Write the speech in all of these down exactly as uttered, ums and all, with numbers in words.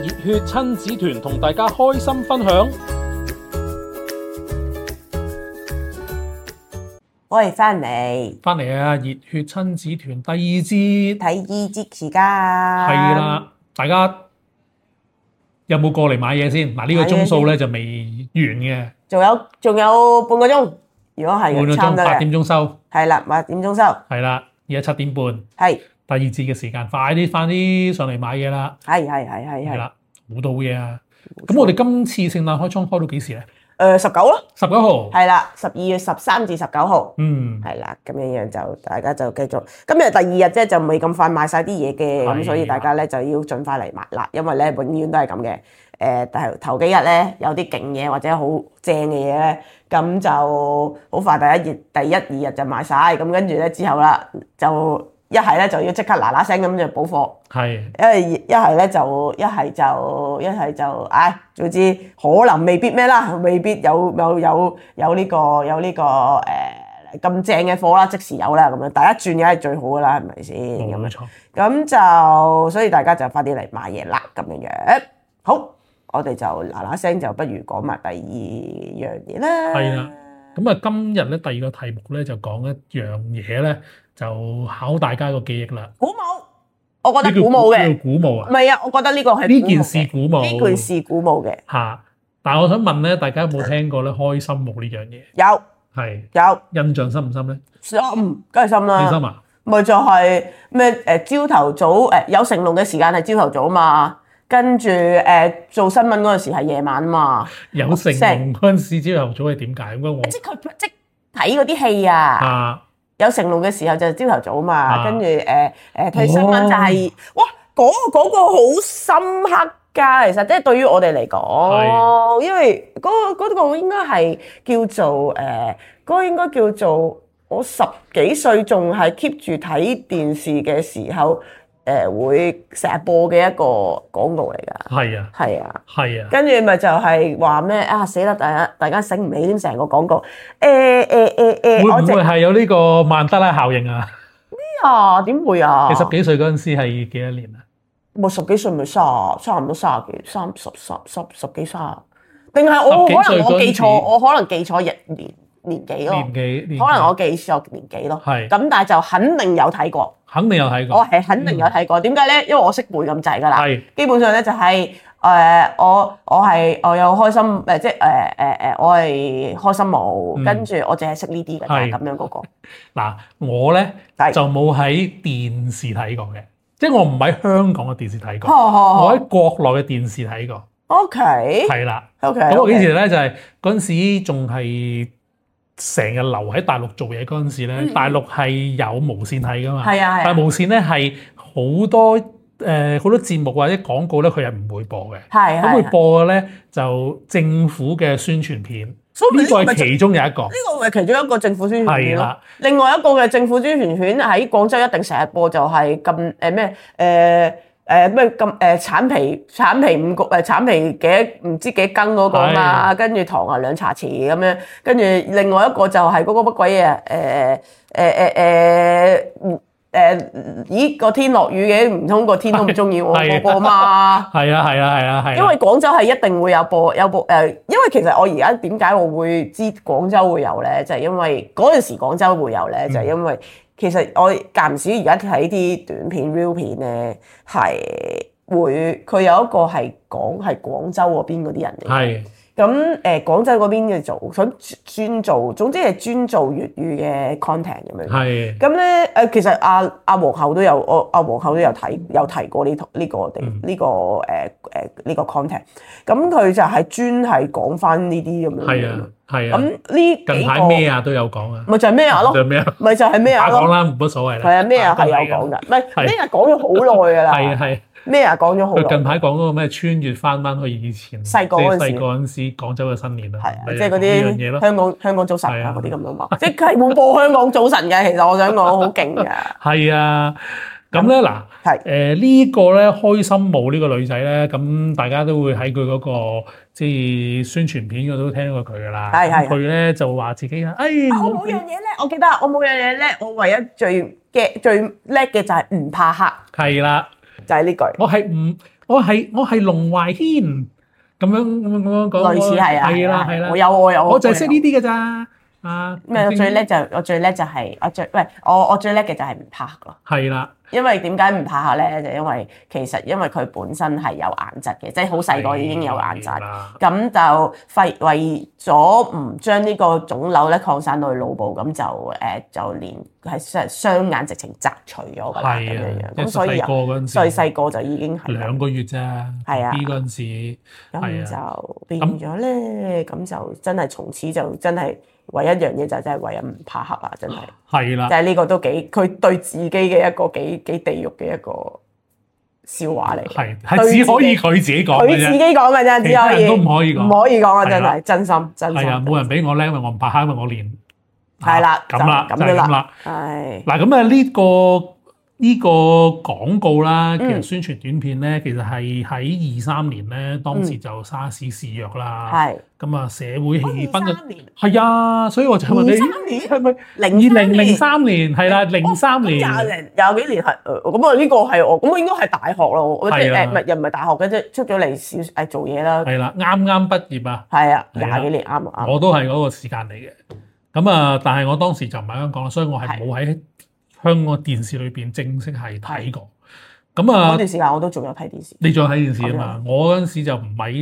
熱血親子團同大家開心分享。我哋翻嚟翻嚟啊！熱血親子團第二節睇二節時間，係啦，大家有冇過嚟買嘢先？嗱，呢個鐘數咧就未完嘅，仲有仲有半個鐘。如果係半個鐘，差唔多嘅八點鐘收。係啦，八點鐘收。係啦，而家七點半，係第二節嘅時間，快啲快啲上嚟買嘢啦！係係係係係。係啦，好多嘢啊！咁我哋今次聖誕開倉開到幾時咧？誒十九咯，十九號。係啦，十二月十三至十九號。嗯，係啦，咁樣樣就大家就繼續。今日第二日啫，就未咁快買晒啲嘢嘅，咁所以大家咧就要盡快嚟買啦。因為咧永遠都係咁嘅。誒頭頭幾日咧有啲勁嘢或者好正嘅嘢咧，咁就好快第一日第一二日就賣晒。咁跟住咧之後啦，就一係咧就要即刻嗱嗱聲咁就補貨，係，因為一係咧就一係就一係就唉，總之可能未必咩啦，未必有有有有呢個有呢個誒咁正嘅貨啦，即時有啦咁樣，第一轉梗係最好噶啦，係咪先？冇錯。咁就所以大家就快啲嚟買嘢啦，咁樣樣。好，我哋就嗱嗱聲就不如講埋第二樣嘢啦。係啦，咁啊今日咧第二個題目咧就講一樣嘢咧，就考大家個記憶啦。鼓舞，我覺得鼓舞嘅。呢叫鼓舞啊？唔係啊，我覺得呢個係呢件事鼓舞。呢件事鼓舞嘅。嚇！但係我想問咧，大家有冇聽過咧開心舞呢樣嘢？有。係。有。印象深唔深咧？深，梗係深啦。幾深啊？咪就係咩誒朝頭早誒有成龍嘅時間係朝頭早嘛，跟住誒做新聞嗰陣時係夜晚嘛。有成龍嗰陣時朝頭早係點解？咁我即係佢即係睇嗰啲戲啊。啊！有成龍嘅時候就係朝頭早嘛，啊跟住誒誒睇新聞就係、是哦、哇嗰、那個嗰、那個好深刻㗎，其實即係對於我哋嚟講，因為嗰、那個嗰、那個應該係叫做誒嗰、呃那個應該叫做我十幾歲仲係 keep 住睇電視嘅時候。誒、呃、會成日播嘅一個廣告嚟㗎，係啊，係啊，係啊，跟住咪就係話咩啊死啦！大家大家醒唔起添成個廣告，誒誒誒誒，會唔會係有呢個曼德拉效應啊？咩啊？點會啊？你十幾歲嗰陣時係幾多年啊？我十幾歲咪卅差唔多卅幾三十十十十幾卅，定係我可能我記錯，我可能記錯日年年紀咯，年紀可能我記錯年紀咯，係咁，但係就肯定有睇過。肯定有睇過，我係肯定有睇過。點解咧？因為我識背咁滯㗎啦。係基本上咧就係、是、誒、呃、我我係我有開心誒，即係誒誒誒，我係開心舞，嗯、跟住我淨係識呢啲㗎，咁樣嗰個。嗱，我咧就冇喺電視睇過嘅，即係我唔喺香港嘅電視睇過，我喺國內嘅電視睇過。OK。係啦。OK。咁我幾時咧就係嗰陣時仲係。成日留喺大陸做嘢嗰陣時咧，大陸係有無線睇噶嘛？係啊係。但係無線咧係好多誒好、呃、多節目或者廣告咧，佢係唔會播嘅。係咁佢播嘅咧就政府嘅宣傳片，呢個係其中有一個。呢、呢個係其中一個政府宣傳片咯。係啦。另外一個嘅政府宣傳片喺廣州一定成日播，就係咁誒咩誒。誒咩咁誒橙皮橙皮五個誒橙皮幾唔知幾羹嗰個嘛，跟住糖啊兩茶匙咁樣，跟住另外一個就係嗰個乜鬼嘢誒誒誒誒誒咦個天落雨嘅，唔通個天都唔中意我嗰個嘛？係啊係啊係啊係。因為廣州係一定會有播有播誒，因為其實我而家點解我會知廣州會有咧，就係、是、因為嗰陣時廣州會有咧，就係、是、因為。嗯其實我間唔時而家睇啲短片 real 片咧，係會佢有一個係講係廣州嗰邊嗰啲人嚟。係咁誒，廣州嗰邊嘅做想專做，總之係專做粵語嘅 content 咁樣。係咁咧誒，其實阿阿皇后都有，我阿皇后都有睇有提過呢呢個地呢個誒誒呢個 content。咁佢就係專係講翻呢啲咁樣。係啊。係啊，咁呢近排咩啊都有講啊，咪就係咩啊咯，咪就係咩啊咯，講啦冇乜所謂啦。係啊，咩啊係有講㗎，唔係咩啊講咗好耐㗎啦。係啊係。咩啊講咗好耐。佢近排講嗰個咩穿越翻翻去以前細個嗰陣時，細個嗰陣時廣州嘅新年啊。係啊，即係嗰啲香港香港早晨啊嗰啲咁樣嘛，即係會播香港早晨嘅。其實我想講好勁㗎。係啊。咁咧嗱，係誒呢個咧開心舞呢個女仔咧，咁大家都會喺佢嗰個即係宣傳片嗰度都聽過佢噶啦。係係。佢咧就話自己啊，哎，我冇樣嘢叻，我記得我冇樣嘢叻，我唯一最嘅最叻嘅就係唔怕黑。係啦，就係呢句。我係唔我係我係龍懷軒咁樣咁樣咁樣講。類似係啊，係啦係啦。我有我有，我就係識呢啲㗎咋。啊咩？我最叻就我最叻就係我最喂我我最叻嘅就係唔怕黑咯。係啦。因為點解唔怕黑咧？就因為其實因為佢本身係有眼疾嘅，即係好細個已經有眼疾，咁就費為咗唔將呢個腫瘤咧擴散到去腦部，咁就誒、呃、就連係雙眼直情摘除咗㗎啦，咁樣樣。咁所以細細個就已經係兩個月啫，係啊 B 嗰陣時，咁就變咗咧，咁就真係從此就真係。唯一一樣嘢就真係為人唔怕黑啦，真係。係啦，就係呢個都幾，佢對自己嘅一個幾幾地獄嘅一個笑話嚟。係係只可以佢自己講嘅啫。佢自己講嘅啫，只可以。都唔可以講。唔可以講啊！真係真心真心。係啊，冇人俾我叻，因為我唔怕黑，因為我練。係啦，咁啦，就係咁啦。係。嗱咁啊，呢個。呢個廣告啦，其實宣傳短片咧，其實係喺二三年咧，當時就沙士肆虐啦。係。咁啊，社會氣氛就係啊，所以我就問你，二三年係咪零二零零三年？係啦，零三年。廿零廿幾年係，咁啊呢個係我，咁我應該係大學咯。我即係誒，唔係又唔係大學嘅啫，出咗嚟小誒做嘢啦。係啦，啱啱畢業啊。係啊，廿幾年啱啱。我都係嗰個時間嚟嘅。咁啊，但係我當時就唔喺香港啦，所以我係冇喺香港電視裏邊正式係睇過，咁啊嗰段時間我都仲有睇電視。你仲有睇電視啊嘛？我嗰陣時就唔喺，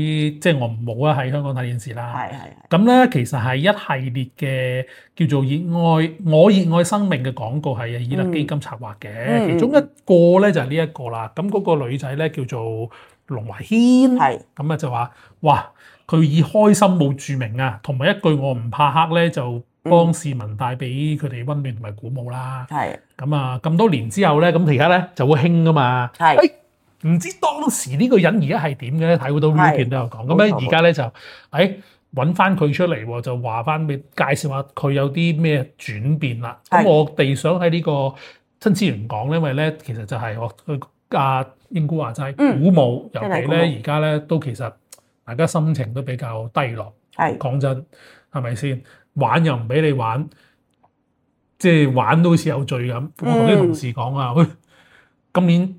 即係我冇啊喺香港睇電視啦。係係。咁咧其實係一系列嘅叫做熱愛我熱愛生命嘅廣告，係以勒基金策劃嘅，嗯、其中一個咧就係呢一個啦。咁嗰個女仔咧叫做龍懷軒，係咁啊就話哇佢以開心冇註明啊，同埋一句我唔怕黑咧就。幫市民帶俾佢哋溫暖同埋鼓舞啦。係咁啊，咁多年之後咧，咁而家咧就會興噶嘛。係，誒唔知當時呢個人而家係點嘅咧？睇好多片都有講。咁咧而家咧就誒揾翻佢出嚟，就話翻俾介紹下佢有啲咩轉變啦。咁我哋想喺呢個新資源講，因為咧其實就係我阿英姑話齋鼓舞，尤其咧而家咧都其實大家心情都比較低落。係講真，係咪先？玩又唔俾你玩，即係玩都好似有罪咁。我同啲同事講啊，喂、嗯，今年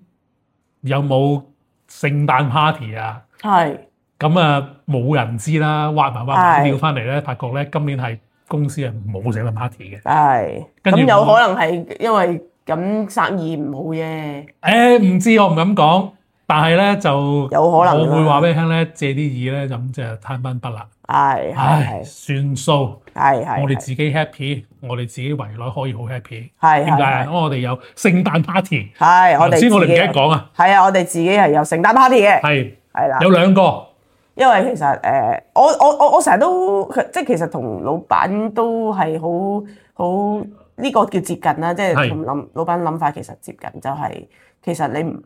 有冇聖誕 party 啊？係。咁啊，冇人知啦，挖埋挖埋料翻嚟咧，發覺咧今年係公司係冇聖誕 party 嘅。係。咁有可能係因為咁生意唔好啫。誒，唔知我唔敢講，但係咧就有可能。我會話俾你聽咧，借啲意咧咁就攤翻筆啦。係係算數，係係我哋自己 happy，我哋自己圍內可以好 happy。係點解啊？因為我哋有聖誕 party。係我哋先，我哋唔記得講啊。係啊，我哋自己係有聖誕 party 嘅。係係啦，有兩個。因為其實誒，我我我我成日都即係其實同老闆都係好好呢個叫接近啦，即係同諗老闆諗法其實接近，就係其實你唔。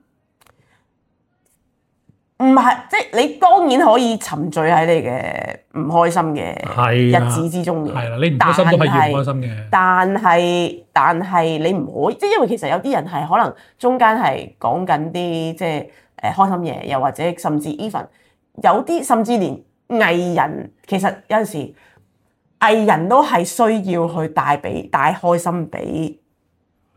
唔係，即係你當然可以沉醉喺你嘅唔開心嘅日子之中嘅。係啦，你唔開心都係要唔開心嘅。但係但係你唔可以，即係因為其實有啲人係可能中間係講緊啲即係誒開心嘢，又或者甚至 even 有啲甚至連藝人其實有陣時藝人都係需要去帶俾帶開心俾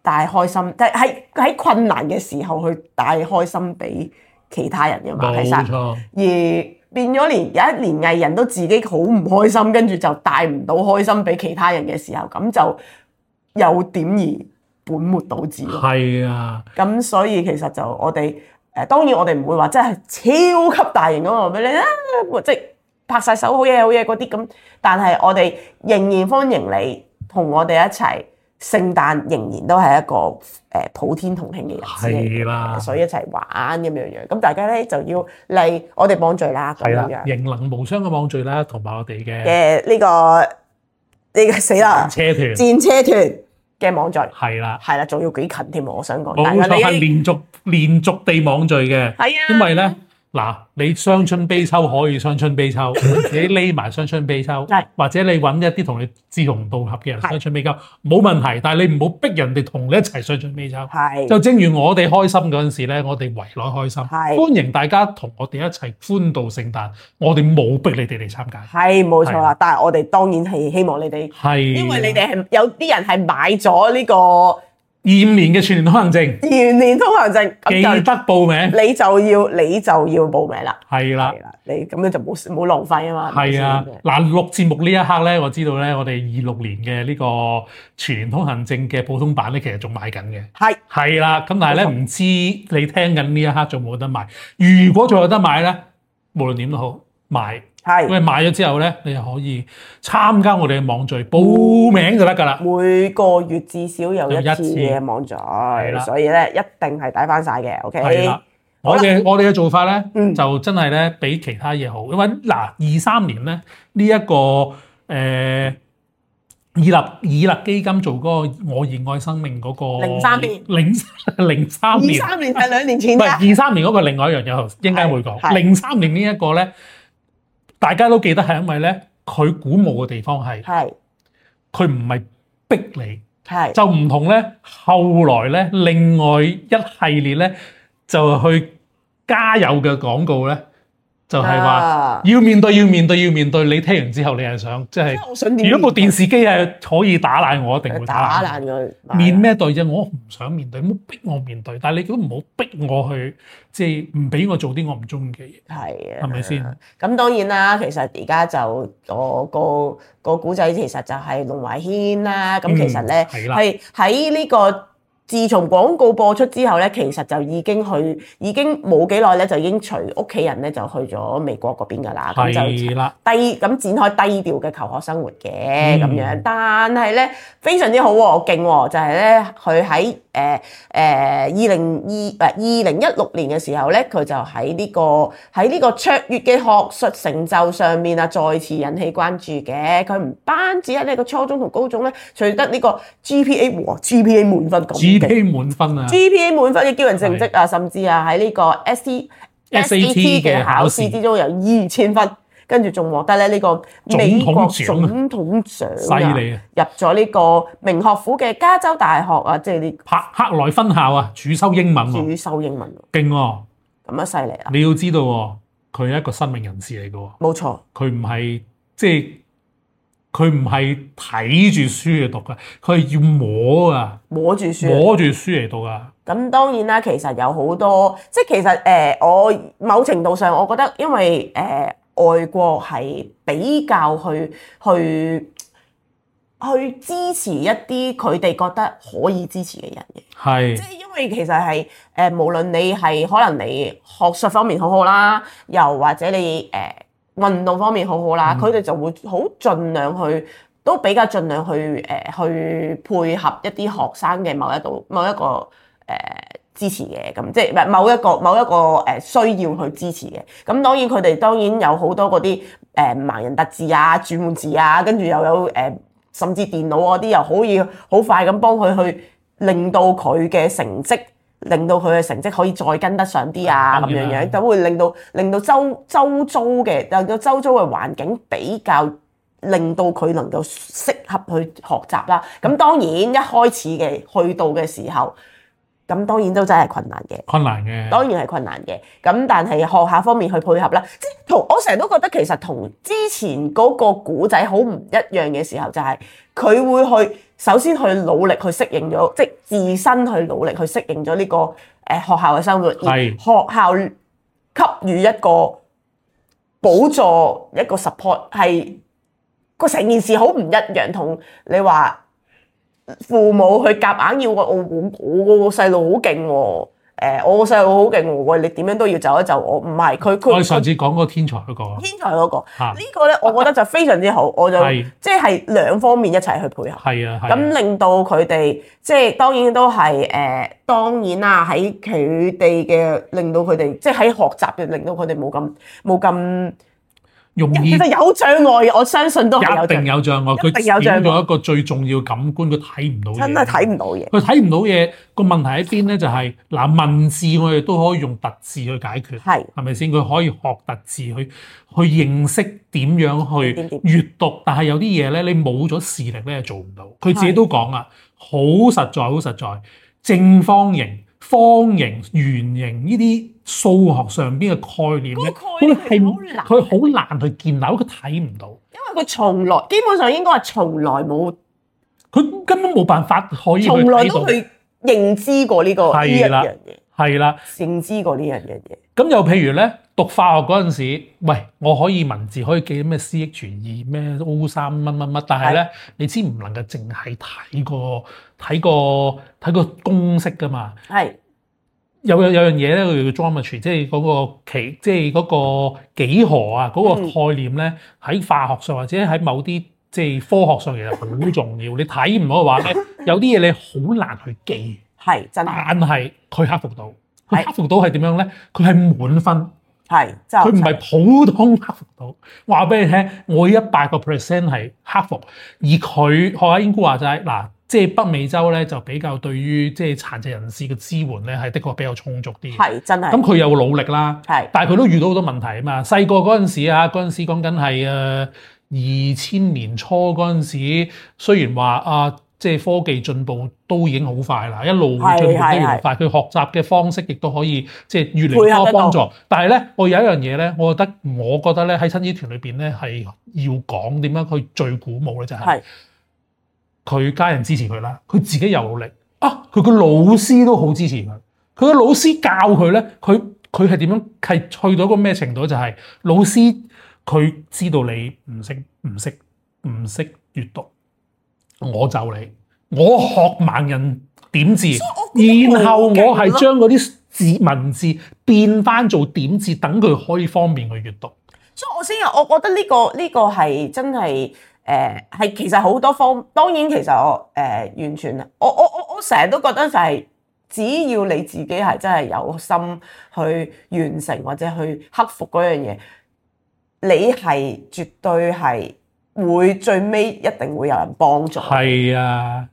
帶開心，即係喺喺困難嘅時候去帶開心俾其他人嘅嘛，其實而變咗連有一年藝人都自己好唔開心，跟住就帶唔到開心俾其他人嘅時候，咁就有點而本末倒置咯。係啊，咁所以其實就我哋誒當然我哋唔會話真係超級大型咁話俾你啊，即係拍晒手好嘢好嘢嗰啲咁，但係我哋仍然歡迎你同我哋一齊。聖誕仍然都係一個誒普天同慶嘅日子嚟嘅，所以一齊玩咁樣樣。咁大家咧就要嚟我哋網聚啦，咁樣樣。型能無雙嘅網聚啦，同埋我哋嘅嘅呢個呢個死啦戰車團戰車團嘅網聚係啦，係啦，仲要幾近添喎！我想講，冇錯係連續連續地網聚嘅，係啊，因為咧。嗱，你傷春悲秋可以傷春悲秋，自己匿埋傷春悲秋，或者你揾一啲同你志同道合嘅人傷春悲秋，冇問題。但係你唔好逼人哋同你一齊傷春悲秋。係，就正如我哋開心嗰陣時咧，我哋圍內開心，歡迎大家同我哋一齊歡度聖誕。我哋冇逼你哋嚟參加。係冇錯啦，但係我哋當然係希望你哋，係因為你哋係有啲人係買咗呢個。二五年嘅全年通行證，二五年通行證，記得報名，你就要你就要報名啦。係啦，係啦，你咁樣就冇冇浪費啊嘛。係啊，嗱錄節目呢一刻咧，我知道咧，我哋二六年嘅呢個全年通行證嘅普通版咧，其實仲賣緊嘅。係係啦，咁但係咧唔知你聽緊呢一刻仲冇得賣。如果仲有得買咧，無論點都好買。係，因為買咗之後咧，你就可以參加我哋嘅網聚，報名就得㗎啦。每個月至少有一次嘅網聚，所以咧一定係抵翻晒嘅。OK，係啦，我哋我哋嘅做法咧、嗯，就真係咧比其他嘢好，因為嗱二三年咧呢一、這個誒、呃、以立以立基金做嗰個我熱愛生命嗰、那個零三年零零三年，二三年係兩年前，唔係二三年嗰個另外一樣嘢，應該會講零三年呢一個咧。大家都記得係因為咧，佢鼓舞嘅地方係，佢唔係逼你，就唔同咧。後來咧，另外一系列咧就去加油嘅廣告咧，就係、是、話要面對，要面對，要面對。你聽完之後，你係想即係，如果部電視機係可以打爛我，一定會打爛佢。面咩對啫？我唔想面對，唔好逼我面對。但係你都唔好逼我去，即係唔俾我做啲我唔中意嘅嘢。係啊，係咪先？咁當然啦，其實而家就我個個古仔其實就係龍懷軒啦。咁其實咧係喺呢個。自從廣告播出之後咧，其實就已經去，已經冇幾耐咧，就已經隨屋企人咧就去咗美國嗰邊噶啦，咁就低咁展開低調嘅求學生活嘅咁樣。但係咧非常之好喎，勁喎，就係咧佢喺誒誒二零二誒二零一六年嘅時候咧，佢就喺呢個喺呢個卓越嘅學術成就上面啊，再次引起關注嘅。佢唔單止喺呢個初中同高中咧取得呢個 G P A 和 G P A 滿分咁。G P A 滿分啊 ！G P A 滿分嘅驕人成績啊，甚至啊喺呢個 S T S A T 嘅考試之中有二千分，跟住仲獲得咧呢個美國總統獎，犀利啊！入咗呢個名學府嘅加州大學啊，即係呢柏克萊分校啊，主修英文喎，主修英文，勁喎！咁啊犀利啊！你要知道喎，佢係一個新聞人士嚟嘅喎，冇錯，佢唔係即係。佢唔係睇住書嚟讀㗎，佢係要摸啊，摸住書，摸住書嚟讀啊。咁當然啦，其實有好多，即係其實誒、呃，我某程度上，我覺得因為誒、呃、外國係比較去去去支持一啲佢哋覺得可以支持嘅人嘅，係，即係因為其實係誒、呃，無論你係可能你學術方面好好啦，又或者你誒。呃運動方面好好啦，佢、嗯、哋就會好盡量去，都比較盡量去誒、呃、去配合一啲學生嘅某一度某一個誒、呃、支持嘅，咁即係唔係某一個某一個誒需要去支持嘅。咁當然佢哋當然有好多嗰啲誒盲人特字啊、轉換字啊，跟住又有誒、呃、甚至電腦嗰啲又可以好快咁幫佢去令到佢嘅成績。令到佢嘅成績可以再跟得上啲啊，咁樣樣就會令到令到周周遭嘅令到周遭嘅環境比較令到佢能夠適合去學習啦。咁當然一開始嘅去到嘅時候，咁當然都真係困難嘅，困難嘅，當然係困難嘅。咁但係學校方面去配合啦，即係同我成日都覺得其實同之前嗰個古仔好唔一樣嘅時候，就係佢會去。首先去努力去適應咗，即係自身去努力去適應咗呢個誒學校嘅生活，而學校給予一個補助一個 support， 係個成件事好唔一樣。同你話父母去夾硬要個我我我個細路好勁喎。誒，我個細路好勁喎，喂，你點樣都要就一就我，唔係佢佢。我上次講嗰個天才嗰個。天才嗰個，呢個咧，我覺得就非常之好，我就即係兩方面一齊去配合。係啊，咁令到佢哋即係當然都係誒，當然啦，喺佢哋嘅令到佢哋即係喺學習嘅令到佢哋冇咁冇咁。容易其實有障礙，我相信都係有障礙。一定有障礙，佢少咗一個最重要感官，佢睇唔到嘢。真係睇唔到嘢。佢睇唔到嘢，個問題喺邊咧？就係、是、嗱，文字我哋都可以用特字去解決，係係咪先？佢可以學特字去去認識點樣去閱讀，但係有啲嘢咧，你冇咗視力咧，做唔到。佢自己都講啊，好實在，好實在，正方形、方形、圓形呢啲數學上邊嘅概念咧，佢係佢好難去建立，佢睇唔到，因為佢從來基本上應該係從來冇，佢根本冇辦法可以去睇到。從來都去認知過呢、這個呢一樣嘢，係啦，認知過呢樣嘢。咁又譬如咧，讀化學嗰陣時，喂，我可以文字可以記咩 C H 二咩 O 三乜乜乜，但係咧，你知唔能夠淨係睇個睇個睇個公式噶嘛？係。有有有樣嘢咧，佢叫 geometry，即係嗰個其即係嗰個幾何啊，嗰、那個概念咧喺、嗯、化學上或者喺某啲即係科學上其實好重要。你睇唔到嘅話咧，有啲嘢你好難去記。係真係。但係佢克服到，佢克服到係點樣咧？佢係滿分。係，佢唔係普通克服到。話俾你聽，我一百個 percent 係克服，而佢學阿英姑話齋嗱。即係北美洲咧，就比較對於即係殘疾人士嘅支援咧，係的確比較充足啲。係真係。咁佢有努力啦，係，但係佢都遇到好多問題啊嘛。細個嗰陣時啊，嗰陣時講緊係誒二千年初嗰陣時，雖然話啊，即係科技進步都已經好快啦，一路進步得越嚟越快，佢學習嘅方式亦都可以即係越嚟越多幫助。但係咧，我有一樣嘢咧，我覺得我覺得咧喺親子團裏邊咧係要講點樣佢最鼓舞咧就係、係。佢家人支持佢啦，佢自己又努力啊！佢個老師都好支持佢，佢個老師教佢咧，佢佢係點樣係去到一個咩程度？就係、是、老師佢知道你唔識唔識唔識閱讀，我就你，我學盲人點字，然後我係將嗰啲字文字變翻做點字，等佢可以方便去閱讀。所以我先我覺得呢、這個呢、這個係真係。誒、呃、係其實好多方，當然其實我誒、呃、完全，我我我我成日都覺得就係、是、只要你自己係真係有心去完成或者去克服嗰樣嘢，你係絕對係會最尾一定會有人幫助。係啊。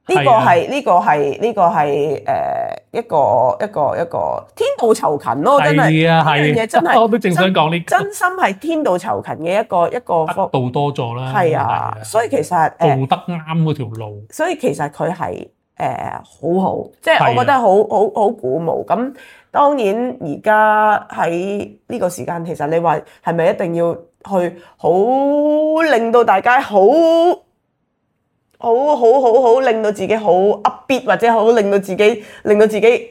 呢、這個係呢、這個係呢、這個係誒、呃、一個一個一個天道酬勤咯，真係呢樣嘢真係，我都正想講呢、這個，真心係天道酬勤嘅一個一個得道多助啦。係啊，所以其實誒做得啱嗰條路，所以其實佢係誒好好，即係我覺得好好好鼓舞。咁當然而家喺呢個時間，其實你話係咪一定要去好令到大家好？好好好好令到自己好 upbeat 或者好令到自己令到自己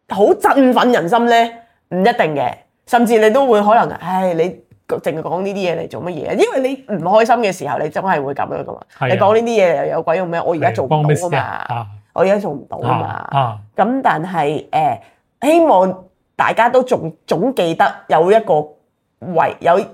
好振奮人心咧，唔一定嘅，甚至你都會可能，唉，你淨係講呢啲嘢嚟做乜嘢？因為你唔開心嘅時候，你真係會咁樣噶嘛。你講呢啲嘢又有鬼用咩？我而家做唔到啊嘛，啊我而家做唔到啊嘛。咁但係誒、呃，希望大家都仲總記得有一個為有一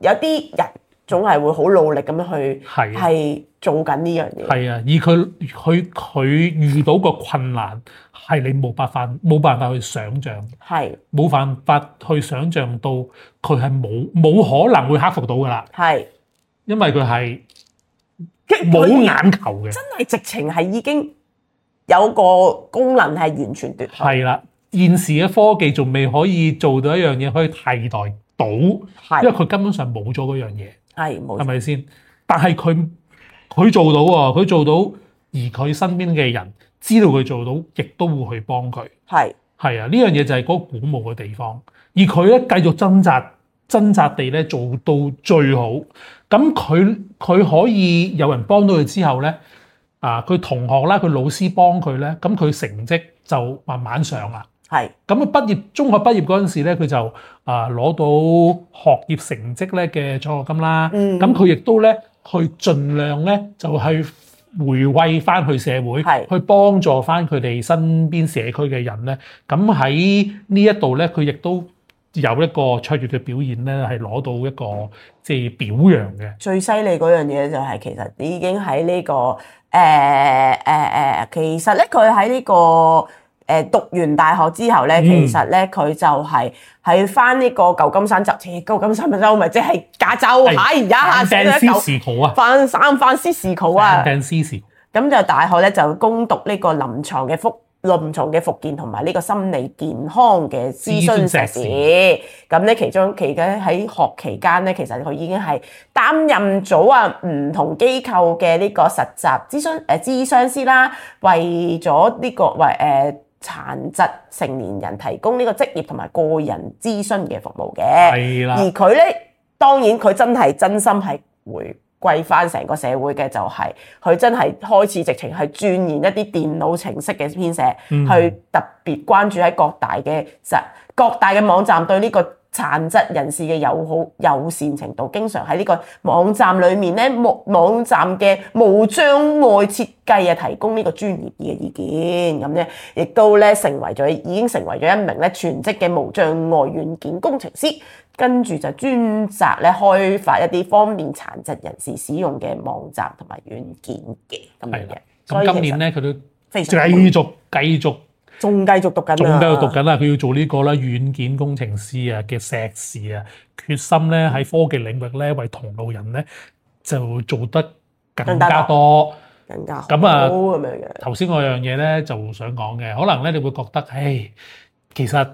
有啲人。總係會好努力咁樣去係做緊呢樣嘢。係啊，而佢佢佢遇到個困難係你冇辦法冇辦法去想像，係冇辦法去想像到佢係冇冇可能會克服到㗎啦。係，因為佢係冇眼球嘅，真係直情係已經有個功能係完全奪去。係啦，現時嘅科技仲未可以做到一樣嘢可以替代到，因為佢根本上冇咗嗰樣嘢。係冇，係咪先？但係佢佢做到喎，佢做到，而佢身邊嘅人知道佢做到，亦都會去幫佢。係係啊，呢樣嘢就係嗰個鼓舞嘅地方。而佢咧繼續掙扎掙扎地咧做到最好。咁佢佢可以有人幫到佢之後咧，啊，佢同學啦，佢老師幫佢咧，咁佢成績就慢慢上啦。係咁啊！畢業中學畢業嗰陣時咧，佢就啊攞到學業成績咧嘅獎學金啦。嗯，咁佢亦都咧去盡量咧就去回饋翻去社會，係去幫助翻佢哋身邊社區嘅人咧。咁喺呢一度咧，佢亦都有一個卓越嘅表現咧，係攞到一個即係表揚嘅。最犀利嗰樣嘢就係其實已經喺呢個誒誒誒，其實咧佢喺呢個。誒讀完大學之後咧，其實咧佢就係喺翻呢個舊金山州，似舊金山州咪即係加州嚇，而家嚇翻三藩三藩市區啊，咁就大學咧就攻讀呢個臨床嘅復臨床嘅復健同埋呢個心理健康嘅諮詢碩士。咁咧其中期間喺學期間咧，其實佢已經係擔任咗啊唔同機構嘅呢個實習諮詢誒諮詢師啦，為咗呢個為誒。呃殘疾成年人提供呢個職業同埋個人諮詢嘅服務嘅，係啦。而佢咧，當然佢真係真心係會貴翻成個社會嘅就係佢真係開始直情係鑽研一啲電腦程式嘅編寫，嗯、去特別關注喺各大嘅各大嘅網站對呢個殘疾人士嘅友好友善程度，經常喺呢個網站裏面咧，網網站嘅無障礙設計啊，提供呢個專業嘅意見，咁咧亦都咧成為咗已經成為咗一名咧全職嘅無障礙軟件工程師，跟住就專責咧開發一啲方便殘疾人士使用嘅網站同埋軟件嘅咁樣嘅。咁今年咧佢都非常繼續繼續。仲繼續讀緊啊！仲繼續讀緊啦！佢要做呢個啦，軟件工程師啊嘅碩士啊，決心咧喺科技領域咧為同路人咧就做得更加多、更加好咁啊！咁樣嘅。頭先嗰樣嘢咧就想講嘅，可能咧你會覺得，唉，其實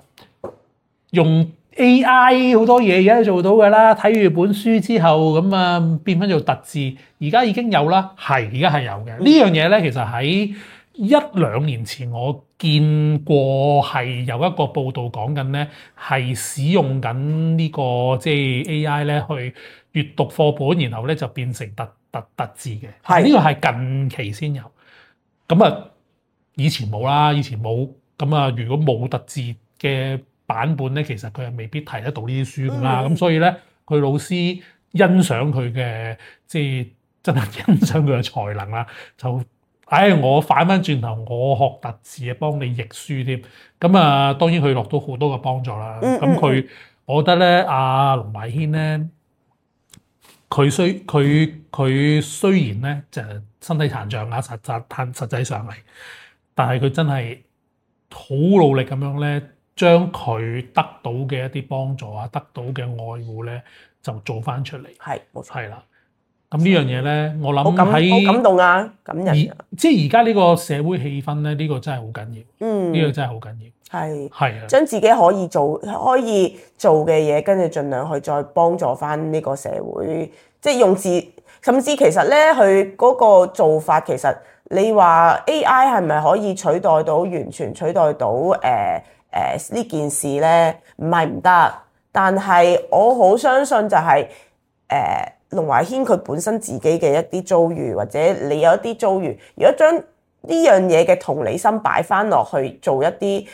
用 A I 好多嘢而家都做到㗎啦。睇完本書之後，咁啊變翻做特字，而家已經有啦。係，而家係有嘅。嗯、呢樣嘢咧，其實喺一兩年前我見過係有一個報道講緊咧，係使用緊呢個即係 A I 咧去閱讀課本，然後咧就變成特特特字嘅。係呢個係近期先有，咁啊以前冇啦，以前冇。咁啊如果冇特字嘅版本咧，其實佢係未必睇得到呢啲書㗎啦。咁、嗯、所以咧，佢老師欣賞佢嘅即係真係欣賞佢嘅才能啦，就。唉、哎，我反翻轉頭，我學特字啊，幫你譯書添。咁啊，當然佢落到好多嘅幫助啦。咁、嗯、佢、嗯，我覺得咧，阿龍懷軒咧，佢雖佢佢雖然咧就身體殘障啊，實實實實際上嚟，但係佢真係好努力咁樣咧，將佢得到嘅一啲幫助啊，得到嘅愛護咧，就做翻出嚟。係，冇錯，係啦。咁呢樣嘢咧，我諗喺好感動啊，感人啊。即係而家呢個社會氣氛咧，呢、呢個真係好緊要。嗯，呢、呢個真係好緊要。係係啊，將自己可以做可以做嘅嘢，跟住盡量去再幫助翻呢個社會。即係用字，甚至其實咧，佢嗰個做法，其實你話 A I 係咪可以取代到完全取代到誒誒呢件事咧？唔係唔得，但係我好相信就係、是、誒。呃龍懷軒佢本身自己嘅一啲遭遇，或者你有一啲遭遇，如果將呢樣嘢嘅同理心擺翻落去做一啲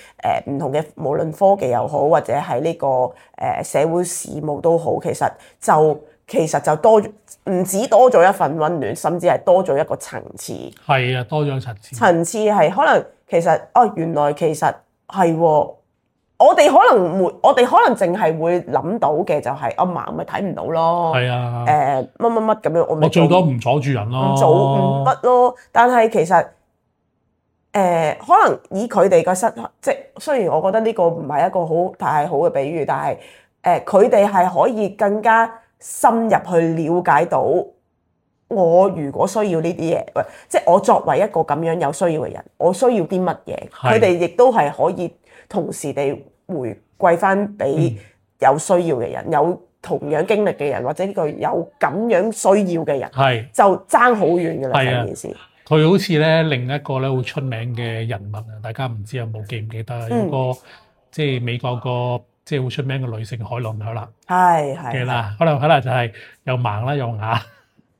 誒唔同嘅，無論科技又好，或者係呢、這個誒、呃、社會事務都好，其實就其實就多唔止多咗一份溫暖，甚至係多咗一個層次。係啊，多咗層次。層次係可能其實哦，原來其實係喎。我哋可能會，我哋可能淨係會諗到嘅就係阿嫲咪睇唔到咯。係啊。誒乜乜乜咁樣，我我最多唔阻住人咯。唔阻唔乜咯？但係其實誒、呃，可能以佢哋個失，即係雖然我覺得呢個唔係一個好太好嘅比喻，但係誒，佢哋係可以更加深入去了解到我如果需要呢啲嘢，即係我作為一個咁樣有需要嘅人，我需要啲乜嘢？佢哋亦都係可以同時地回饋翻俾有需要嘅人、嗯，有同樣經歷嘅人，或者呢個有咁樣需要嘅人，係就爭好遠嘅啦。成件事，佢好似咧另一個咧好出名嘅人物啊，大家唔知有冇記唔記得？嗯、有個即係美國個即係好出名嘅女性海倫凱勒，係係嘅啦。海倫凱勒就係又盲啦，又啞，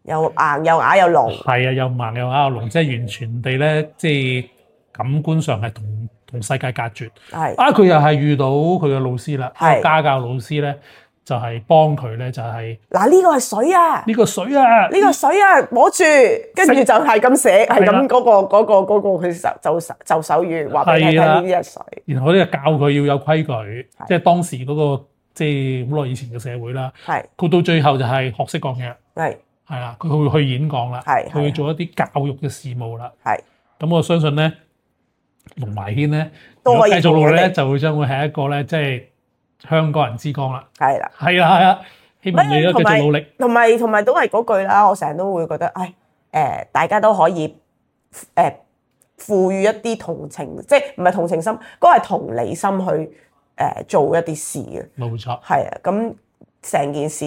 又硬又啞又聾，係啊，又盲又啞又聾，即係完全地咧，即係感官上係同。同世界隔絕，係啊！佢又係遇到佢嘅老師啦，家教老師咧就係幫佢咧，就係嗱呢個係水啊，呢、呢個水啊，呢、呢個水啊，摸住，跟住就係咁寫，係咁嗰個嗰、嗰個嗰、嗰個佢就就就手語話俾你聽呢啲係水。然後咧教佢要有規矩，即係當時嗰、嗰個即係好耐以前嘅社會啦。係佢到最後就係學識講嘢，係係啦，佢會去演講啦，係佢會做一啲教育嘅事務啦。係咁，我相信咧。龍懷軒咧，如果繼續落去咧，就會將會係一個咧，即係香港人之光啦。係啦，係啦，係啦，希望你都繼續努力。同埋同埋都係嗰句啦，我成日都會覺得，唉，誒、呃，大家都可以誒、呃、賦予一啲同情，即係唔係同情心，嗰、那個係同理心去誒、呃、做一啲事嘅。冇錯。係啊，咁成件事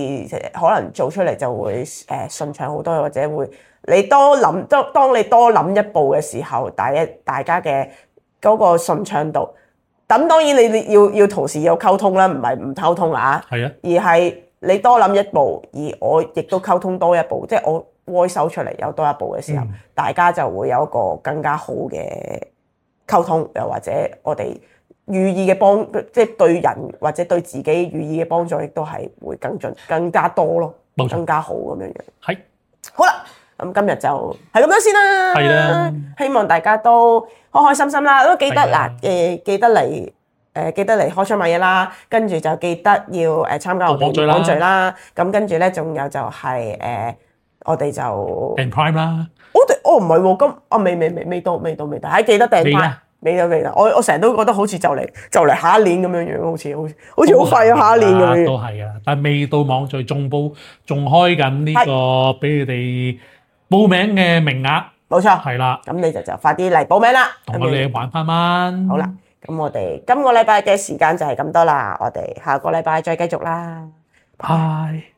可能做出嚟就會誒順暢好多，或者會你多諗，當當你多諗一步嘅時候，大一大家嘅。嗰、那個順暢度，咁當然你你要要同時有溝通啦，唔係唔溝通啊，係啊，而係你多諗一步，而我亦都溝通多一步，即係我 voice 收出嚟有多一步嘅時候，嗯、大家就會有一個更加好嘅溝通，又或者我哋寓意嘅幫，即係對人或者對自己寓意嘅幫助，亦都係會更進更加多咯，冇錯，更加好咁樣樣。係，好啦，咁今日就係咁多先啦。係啦，希望大家都開開心心啦，都記得嗱，誒記得嚟。誒記得嚟開箱買嘢啦，跟住就記得要誒參加我哋網聚啦。咁跟住咧，仲有就係、是、誒、呃，我哋就訂 Prime 啦。我哋哦唔係喎，咁啊未未未未到未到未到，係記得訂 Prime。未到未到，我我成日都覺得好似就嚟就嚟下一年咁樣樣，好似好似好似好快啊下一年咁樣。都係啊，但係未到網聚仲報仲開緊呢個俾你哋報名嘅名額。冇錯，係啦。咁你就就快啲嚟報名啦，同我哋玩翻晚。好啦。咁我哋今個禮拜嘅時間就係咁多啦，我哋下個禮拜再繼續啦，拜。